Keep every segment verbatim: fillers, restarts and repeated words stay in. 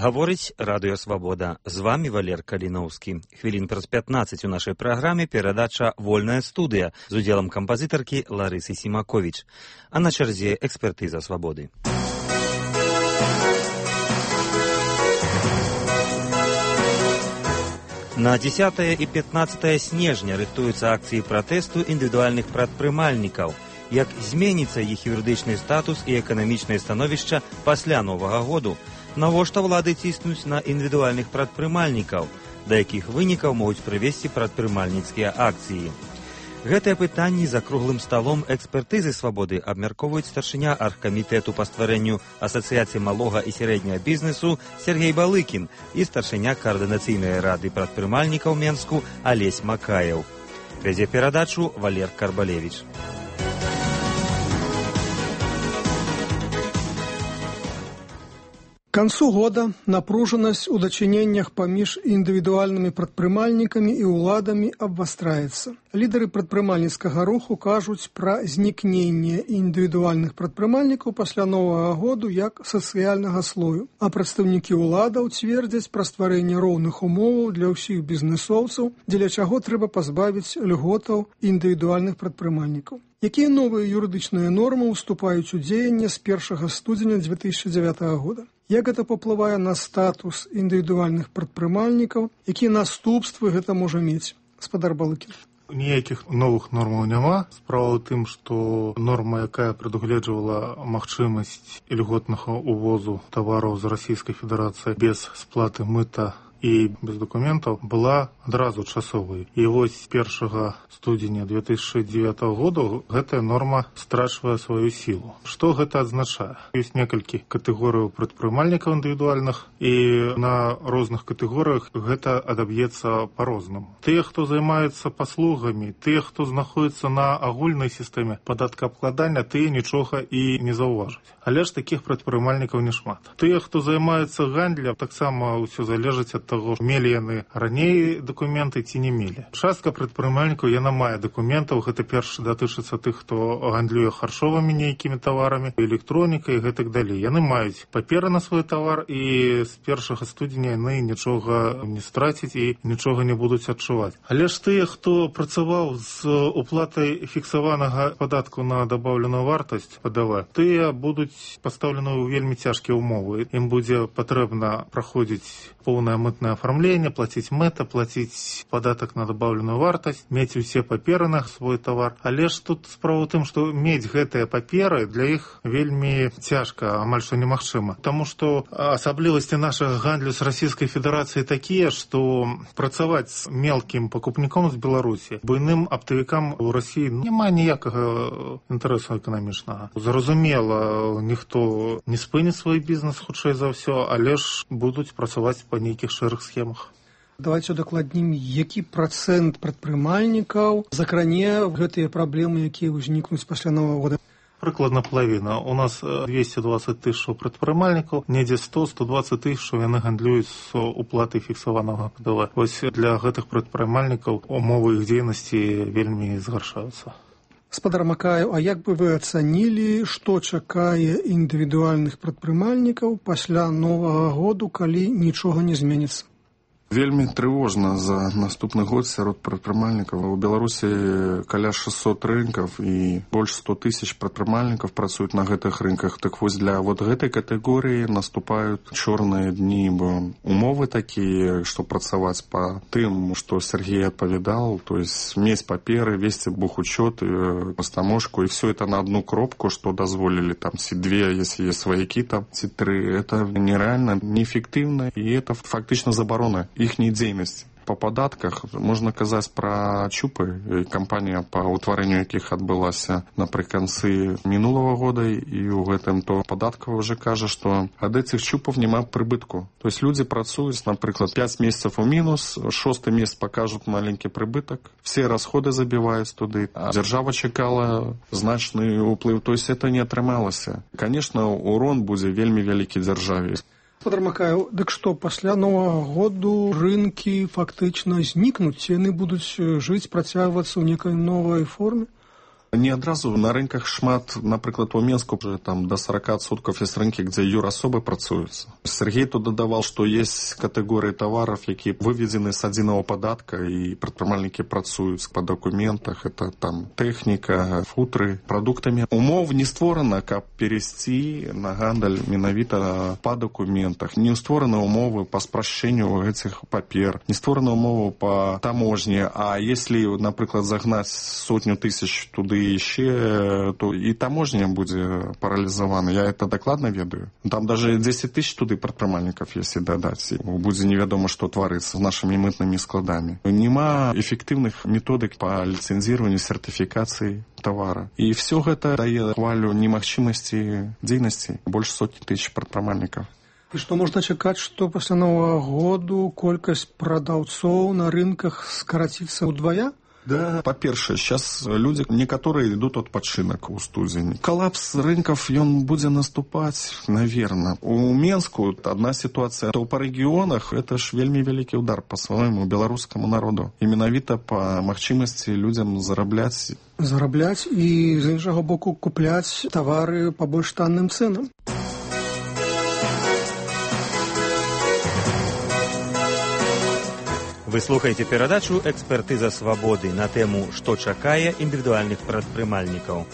Гаворыць Радыё Свабода. З вамі Валер Каліноўскі. Хвілін праз пятнаццаць у нашай праграме перадача «Вольная студыя» з удзелам кампазітаркі Ларысы Сімаковіч. А на чарзе экспертыза свабоды. На дзесятае і пятнаццатае снежня рыхтуюцца акцыі пратэсту індывідуальных прадпрымальнікаў. Як зменіцца іх юрыдычны статус і эканамічнае становішча пасля Новага году? Навошта ўлады ціснуць на індывідуальных прадпрымальнікаў? Да якіх вынікаў могуць прывесці прадпрымальніцкія акцыі? Гэтыя пытанні за круглым сталом экспертызы свабоды абмяркоўваюць старшыня аргкамітэту па стварэнню Асацыяцыі малога і сярэдняга бізнесу Сергей Балыкін і старшыня каардынацыйнай рады прадпрымальнікаў Менску Алесь Макаеў. Вядзе перадачу Валер Карбалевіч. К концу года напружанность у дачыненнях паміж індывідуальнымі прадпрымальнікамі і ўладамі абвастраецца. Лідары прадпрымальніцкага руху кажуць пра знікненне індывідуальных прадпрымальнікаў пасля Новага году як сацыяльнага слою, а прадстаўнікі ўладаў цвердзяць пра стварэнне роўных умоваў для ўсіх бізнесоўцаў, дзеля чаго трэба пазбавіць льготаў індывідуальных прадпрымальнікаў. Якія новыя юрыдычныя нормы ўступаюць у дзеянне з першага студзеня дзве тысячы дзявятага года? Як гэта паўплывае на статус індывідуальных прадпрымальнікаў? Якія наступствы гэта можа мець? Гаспадар Балыкін. Ніякіх новых нормаў няма. Справа ў тым, што норма, якая прадугледжвала магчымасць ільготнага ўвозу тавараў з Расійскай Федэрацыі без сплаты мыта і без дакументаў, была адразу часовай. І вось першага студзеня дзве тысячы дзевятага года гэтая норма страчвае сваю сілу. Што гэта азначае? Ёсць некалькі катэгорыяў прадпрымальнікаў індывідуальных, і на розных катэгорыях гэта адаб'ецца па-рознаму. Тыя, хто займаюцца паслугамі, тыя, хто знаходзіцца на агульнай сістэме падаткаабкладання, тыя нічога і не заўважаць. Але ж такіх прадпрымальнікаў няшмат. Тыя, хто займаюцца гандлем, таксама ўсё залежыць ад таго, мелі яны раней дакументы ці не мелі. Частка прадпрымальнікаў яна мае дакументаў, гэта перш датычыцца тых, хто гандлюе харчовымі нейкімі таварамі, электронікай і гэтак далей. Яны маюць паперы на свой тавар, і з першага студзеня яны нічога не страцяць і нічога не будуць адчуваць. Але ж тыя, хто працаваў з уплатай фіксаванага падатку на дабаўленую вартасць Пэ Дэ Вэ, тыя будуць пастаўлены ў вельмі цяжкія ўмовы. Ім будзе патрэбна праходзіць поўнае мытнае афармленне, плаціць мэта, плаціць падатак на дабаўленую вартасць, мець усе паперы на свой тавар. Але ж тут справа ў тым, што мець гэтыя паперы для іх вельмі цяжка, амаль што немагчыма. Таму што асаблівасці нашага гандлю з Расійскай Федэрацыі такія, што працаваць з мелкім пакупніком з Беларусі, буйным аптавікам у Расіі няма ніякага інтарэсу эканамічнага. Зразумела, ніхто не спыніць свой бізнес, хутчэй за ўсё, але ж будуць працаваць па нейкіх шэрых схемах. Давайте удакладнім, які працэнт прадпрымальнікаў закране гэтыя праблемы, якія ўзнікнуць пасля Новага года? Прыкладна палавіна. У нас двесце дваццаць тысяч прадпрымальнікаў, недзе сто - сто дваццаць тысяч яны гандлююць з уплатай фіксаванага Пэ Дэ Вэ. Вось для гэтых прадпрымальнікаў умовы іх дзейнасці вельмі згаршаюцца. Гаспадар Макаеў, а як бы вы ацанілі, што чакае індывідуальных прадпрымальнікаў пасля Новага году, калі нічога не зменіцца? Вельмі трывожна за наступны год сярод прадпрымальнікаў. У Беларусі каля шэсцьсот рынкаў і больш сто тысяч прадпрымальнікаў працуюць на гэтых рынках. Так вось для вот гэтай катэгорыі наступаюць чорныя дні, бо умовы такія, што працаваць па тым, што Сергей адпавядал, то есть мець паперы, весці бухучёт, пастамошку, і все это на одну кропку, што дазволілі там ці две, если есть сваякі там, ці тры. Это нереально, неэффектыўна, і это фактычна забарона іхняй дзейнасці. Па падатках можна казаць пра чупы, кампанія па ўтварэнню якіх адбылася напрыканцы мінулага года, і ў гэтым то падаткава ўжо кажа, што ад этих чупаў няма прыбытку. То есть людзі працуюць, напрыклад, пяць месяцаў у мінус, шосты месяц пакажуць маленькі прыбытак, все расходы забіваюць туды, а дзяржава чакала значны ўплыў, то есть это не атрымалася. Конечно, урон будзе вельмі вялікі дзяржаве. Гаспадар Макаеў, дык што, пасля Новага году рынкі фактычна знікнуць, яны будуць жыць, працягвацца ў некай новай форме? Не адразу на рынках шмат, напрыклад, у Менску уже там до сорок адсоткаў есть рынкі, где юрасобы працуюцца. Сергей тут дадавал, что есть категории товаров, якія выведены с адзінага падатка, и прадпрымальнікі працуюць по документах. Это там техника, футры, продуктами. Умов не створана, каб перейсці на гандаль менавіта по документах. Не створаны умовы по спрашчэнню этих папер, не створаны умовы по таможне. А если, напрыклад, загнать сотню тысяч туды еще, то и таможня будет парализована. Я это докладно ведаю. Там даже десять тысяч туды прадпрымальнікаў, если дадать, будет неведомо, что творится с нашими мытными складами. Нема эффективных методик по лицензированию, сертификации товара. И все это дае хвалю немагчымасці дзейнасці больше сотни тысяч прадпрымальнікаў. І што можна чакаць, што пасля Новага году колькасць прадаўцоў на рынках скараціцца ўдвая? Да, по-першае, сейчас люди, некоторые идут отпочинок у студзені. Коллапс рынков, он будет наступать, наверное. У Менску одна ситуация, то по регионах это ж вельмі великий удар по своему белорусскому народу. И менавіта по магчымасці людям зарабляць. Зарабляць і, з іншага боку, купляць товары по больш танным ценам. Вы слухаеце перадачу «Экспертыза свабоды» на тэму «Што чакае індывідуальных прадпрымальнікаў».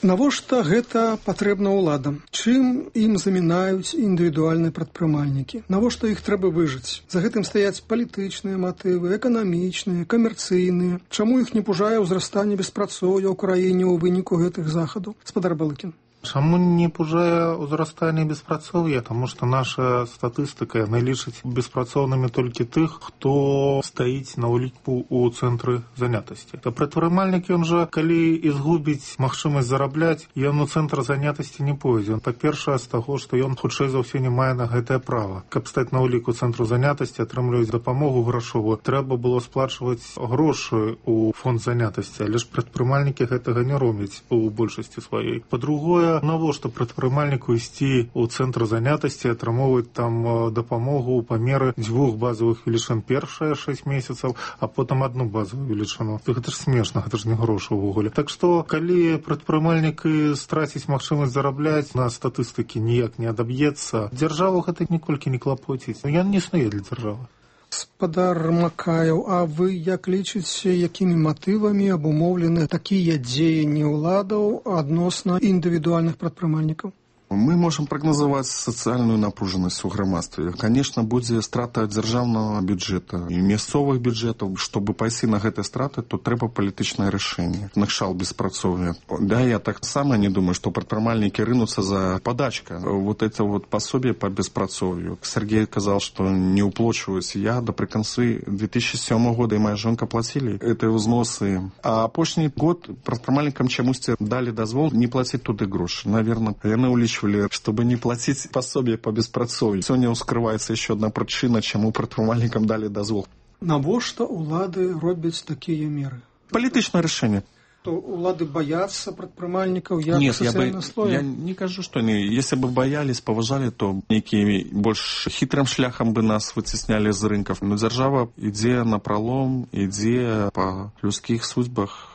Навошта гэта патрэбна ўладам? Чым ім замінаюць індывідуальныя прадпрымальнікі? Навошта іх трэба выжыць? За гэтым стаяць палітычныя матывы, эканамічныя, камерцыйныя. Чаму іх не пужае ўзрастанне беспрацоўя ў краіне ў выніку гэтых захадаў? Спадар Балыкін. Чаму не пужае ўзрастанне беспрацоўя? Таму што наша статыстыка яна лічыць беспрацоўнымі толькі тых, хто стаіць на ўліку ў цэнтры занятасці. То прадпрымальнік, ён жа, калі і згубіць магчымасць зарабляць, ён у цэнтр занятасці не пойдзе. Па-першае, з таго, што ён хутчэй за ўсё не мае на гэтае права. Каб стаць на ўліку цэнтру занятасці, атрымліваць дапамогу грашовую, трэба было сплачваць грошы ў фонд занятасці, але ж прадпрымальнікі гэтага не робяць у большасці сваёй. Па-другое, навошта прадпрымальніку ісці ў цэнтр занятасці, атрымоўваць там дапамогу ў памеры дзвюх базавых велічын першыя шэсць месяцаў, а потым адну базавую велічыну. Гэта ж смешна, гэта ж не грошы ўвогуле. Так што, калі прадпрымальнік страціць магчымасць зарабляць, на статыстыкі ніяк не адаб'ецца, дзяржаву гэта ніколькі не клапоціць. Ён не існуе для дзяржавы. Спадар Макаеў, а вы як лічыце, якімі матывамі абумоўлены такія дзеянні ўладаў адносна індывідуальных прадпрымальнікаў? Мы можем прогнозовать социальную напруженность у грамадстве. Конечно, будет страта дзяржаўнага бюджета и мясцовых бюджетов. Чтобы пайсці на гэтыя страты, то трэба палітычнае рашэнне. Накшал беспрацоўя. Да, я так само не думаю, что прадпрымальнікі рынутся за подачка. Вот это вот пособие по беспрацоўю. Сергей сказал, что не уплачиваюсь. Я до приконцы две тысячи седьмого года и моя жонка платили эти взносы. А апошні год прадпрымальнікам чамусьці дали дозвол не платить туды грошы. Наверное, яны улічвалі, чтобы не платить пособие по беспрацоўю. Сегодня ускрывается еще одна причина, чему прадпрымальнікам дали дозвол. Навошта улады робяць такія меры? Палітычнае рашэнне. То улады боятся прадпрымальнікаў як Нет, социального я, слоя? я не кажу, что они. Если бы боялись, поважали, то некие больше хитрым шляхом бы нас вытесняли из рынков. Но держава ідзе на пролом, ідзе по людских судьбах.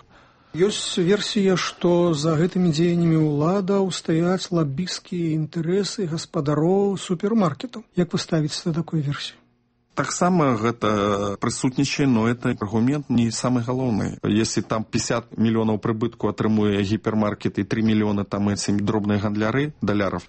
Ёсць версія, што за гэтымі дзеяннямі ўладаў стаяць лабісцкія інтарэсы гаспадароў супермаркетаў. Як вы ставіце да такой версіі? Таксама гэта прысутнічае, но это аргумент не самый галоўны. Если там пятьдесят миллионов прыбытку атрымуе гіпермаркет і три миллиона там эти дробныя гандляры даляров.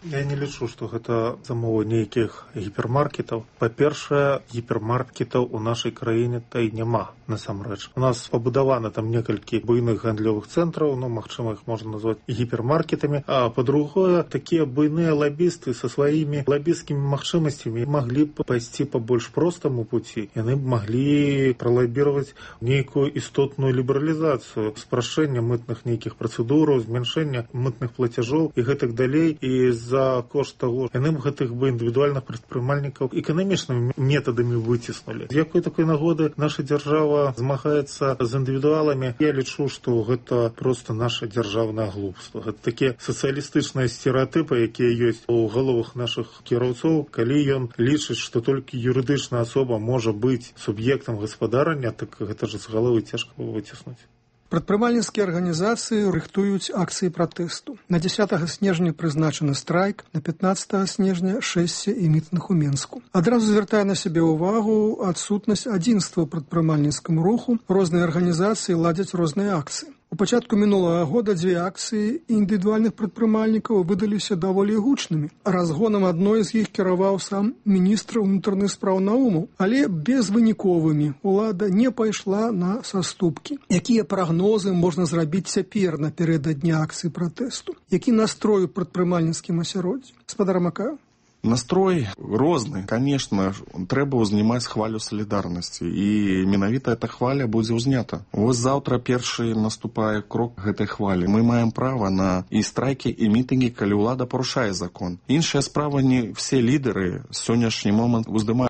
Я не лічу, што гэта замова нейкіх гіпермаркетаў. Па-першае, гіпермаркетаў у нашай краіне та і няма, насамрэч. У нас пабудавана там некалькі буйных гандлёвых цэнтраў, ну, магчыма, іх можна назваць гіпермаркетамі. А па-другое, такія буйныя лабісты са сваімі лабісцкімі магчымасцямі маглі б пайсці па больш простаму пуці. Яны б маглі пралабіраваць нейкую істотную лібералізацыю, спрашчэння мытных нейкіх працэдураў, змяншэння мытных плацяжоў і гэтак далей. І з за кошт таго, яны б гэтых бы індывідуальных прадпрымальнікаў эканамічнымі метадамі выціснулі. З якой такой нагоды наша дзяржава змагаецца з індывідуаламі? Я лічу, што гэта проста наша дзяржаўнае глупства. Гэта такія сацыялістычныя стэрэатыпы, якія ёсць у галовах нашых кіраўцоў, калі ён лічыць, што толькі юрыдычная асоба можа быць суб'ектам гаспадарання, так гэта ж з галовы цяжка выціснуць. Прадпрымальніцкія арганізацыі рыхтуюць акцыі пратэсту. На дзесятага снежня прызначаны страйк, на пятнаццатага снежня шэсце і мітынг у Менску. Адразу звяртае на сябе ўвагу адсутнасць адзінства ў прадпрымальніцкаму руху. Розныя арганізацыі ладзяць розныя акцыі. У пачатку мінулага года дзве акцыі індывідуальных прадпрымальнікаў выдаліся даволі гучнымі. Разгонам адной з іх кіраваў сам міністр унутраных спраў Наумаў, але безвыніковымі. Улада не пайшла на саступкі. Якія прагнозы можна зрабіць цяпер напярэдадні акцыі пратэсту? Які настрой у прадпрымальніцкім асяроддзі? Гаспадар Макаеў? Настрой розны. Конечно, трэба ўзнімаць хвалю салідарнасці, і менавіта эта хваля будзе ўзнята. Вось заўтра першы наступае крок гэтай хвалі. Мы маем права на і страйкі, і мітынгі, калі ўлада парушае закон. Іншая справа, не все лідары сённяшні момант уздымаюць